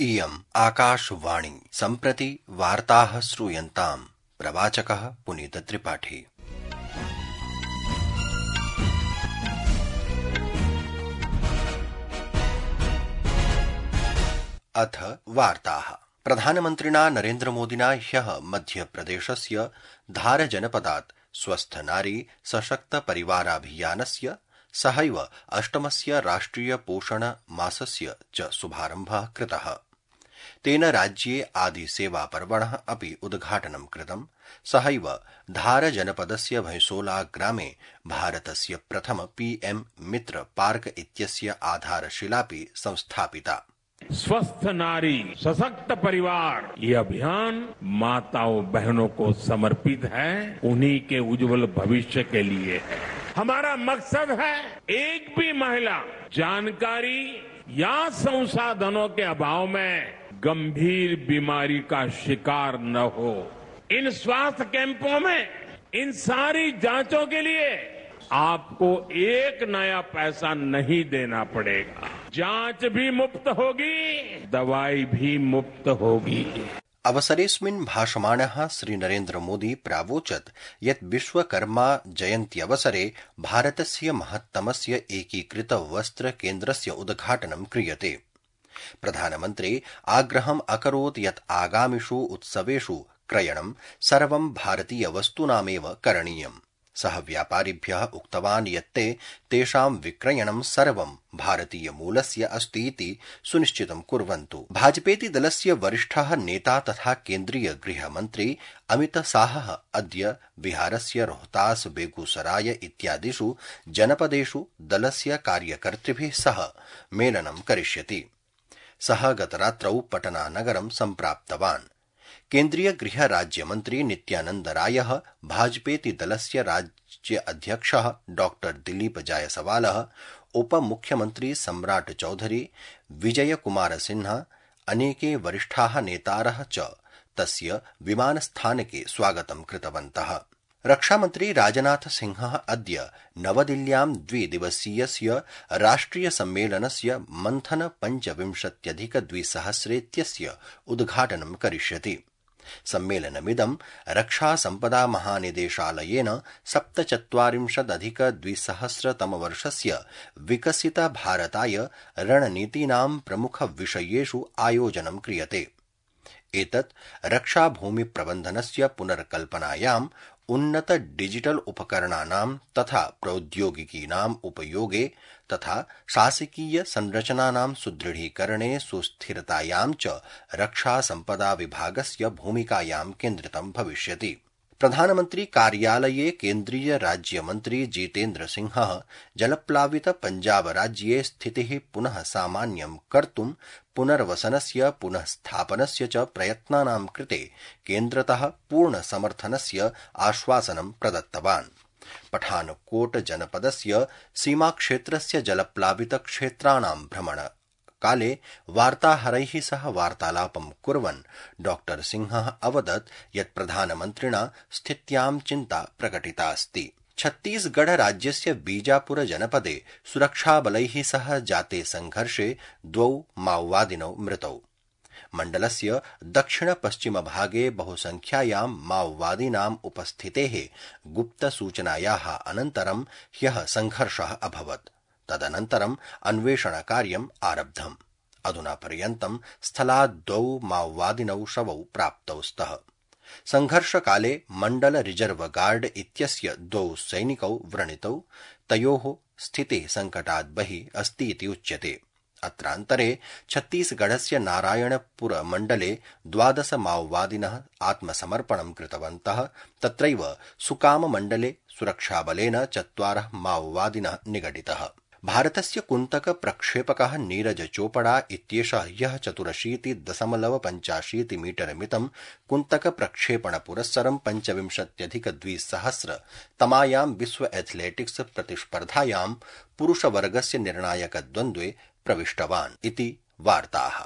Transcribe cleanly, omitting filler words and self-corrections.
इयम् आकाशवाणी सम्प्रति वार्ताः श्रूयन्ताम्। प्रवाचकः पुनीतत्रिपाठी। अथ वार्ताः। प्रधानमन्त्रिणा नरेन्द्रमोदिना ह्यः मध्यप्रदेशस्य धार जनपदात् स्वस्थ नारी सशक्त परिवाराभियानस्य सहैव अष्टमस्य राष्ट्रिय पोषण मासस्य च शुभारम्भः कृतः। तेन राज्ये आदिसेवा पर्वणः अपि उद्घाटनं कृतम्। सहैव धार जनपदस्य भैंसोला ग्रामे भारतस्य प्रथम पीएम मित्र पार्क इत्यस्य आधारशिलापि संस्थापिता। स्वस्थ नारी सशक्त परिवार ये अभियान माताओं बहनों को समर्पित है, उन्हीं के उज्जवल भविष्य के लिए है। हमारा मकसद है एक भी महिला जानकारी या संसाधनों के अभाव में गंभीर बीमारी का शिकार न हो। इन स्वास्थ्य कैंपों में इन सारी जांचों के लिए आपको एक नया पैसा नहीं देना पड़ेगा। जांच भी मुफ्त होगी, दवाई भी मुफ्त होगी। अवसरेऽस्मिन् भाषमाणः श्रीनरेन्द्र मोदी प्रावोचत् यत् विश्वकर्मा जयन्त्यवसरे भारतस्य महत्तमस्य एकीकृत वस्त्र केन्द्रस्य उद्घाटनं क्रियते। प्रधानमन्त्री आग्रहम् अकरोत् यत् आगामिषु उत्सवेषु क्रयणं सर्वं भारतीय वस्तूनामेव करणीयम्। सः व्यापारिभ्यः उक्तवान् यत् ते तेषां विक्रयणं सर्वं भारतीय मूलस्य अस्ति इति सुनिश्चितं कुर्वन्तु। भाजपेति दलस्य वरिष्ठः नेता तथा केन्द्रीय गृहमन्त्री अमित शाहः अद्य बिहारस्य रोहतास बेगूसराय इत्यादिषु जनपदेषु दलस्य कार्यकर्तृभिः सह मेलनं करिष्यति। सः गतरात्रौ पटना नगरं सम्प्राप्तवान्। केन्द्रीय गृह राज्यमन्त्री नित्यानन्द रायः, भाजपेति दलस्य राज्य अध्यक्षः डॉक्टर दिलीप जायसवालः, उपमुख्यमन्त्री सम्राट चौधरी, विजय कुमार सिन्हा, अनेके वरिष्ठाः नेतारः च तस्य विमानस्थानके स्वागतं कृतवन्तः। रक्षामन्त्री राजनाथ सिंहः अद्य नवदिल्ल्यां द्विदिवसीयस्य राष्ट्रिय सम्मेलनस्य मन्थन 25+200 उद्घाटनं करिष्यति। सम्मेलनमिदं रक्षा सम्पदा महानिदेशालयेन 47+200 विकसित भारताय रणनीतीनां प्रमुखविषयेषु आयोजनं क्रियते। एतत् रक्षा भूमि प्रबन्धनस्य पुनर्कल्पनायाम्, उन्नत डिजिटल उपकरणानां तथा प्रौद्योगिकीनाम् उपयोगे तथा शासकीय संरचनानां सुदृढीकरणे सुस्थिरतायां च रक्षा सम्पदा विभागस्य भूमिकायां केन्द्रितं भविष्यति। प्रधानमन्त्री कार्यालये केन्द्रीय राज्यमन्त्री जितेन्द्र सिंहः जलप्लावित पञ्जाब राज्ये स्थितिः पुनः सामान्यं कर्तुं पुनर्वसनस्य पुनः स्थापनस्य च प्रयत्नानां कृते केन्द्रतः पूर्णसमर्थनस्य आश्वासनं प्रदत्तवान्। पठानकोट जनपदस्य सीमाक्षेत्रस्य जलप्लावित क्षेत्राणां भ्रमण काले वार्ताहरैः सह वार्तालापं कुर्वन् डॉक्टर सिंहः अवदत् यत् प्रधानमन्त्रिणा स्थित्यां चिन्ता प्रकटितास्ति। छत्तीसगढ़ राज्यस्य बीजापुर जनपदे सुरक्षाबलैः सह जाते संघर्षे 2 माओवादिनौ मृतौ। मण्डलस्य दक्षिण-पश्चिमभागे बहुसंख्यायां माओवादीनाम् उपस्थितेः गुप्तसूचनायाः अनन्तरं ह्यः संघर्षः अभवत्। तदनन्तरम् अन्वेषणकार्यम् आरब्धम्। अधुना पर्यन्तं स्थलात् 2 माओवादिनौ शवौ प्राप्तौ स्तः। संघर्षकाले मण्डल रिजर्व गार्ड इत्यस्य 2 सैनिकौ व्रणितौ। तयोः स्थितिः संकटात् बहिः अस्ति इति उच्यते। अत्रान्तरे छत्तीसगढ़स्य नारायणपुर मण्डले 12 माओवादिनः आत्मसमर्पणं कृतवन्तः। तत्रैव सुकाम मण्डले सुरक्षाबलेन 4 माओवादिनः निगडितः। भारतस्य कुन्तक प्रक्षेपकः नीरज चोपड़ा इत्येषः ह्यः 84.85 मीटर मितं कुन्तक प्रक्षेपण पुरस्सरं 25+200 तमायां विश्व एथलेटिक्स प्रतिस्पर्धायां पुरुषवर्गस्य निर्णायकद्वन्द्वे प्रविष्टवान् इति वार्ताः।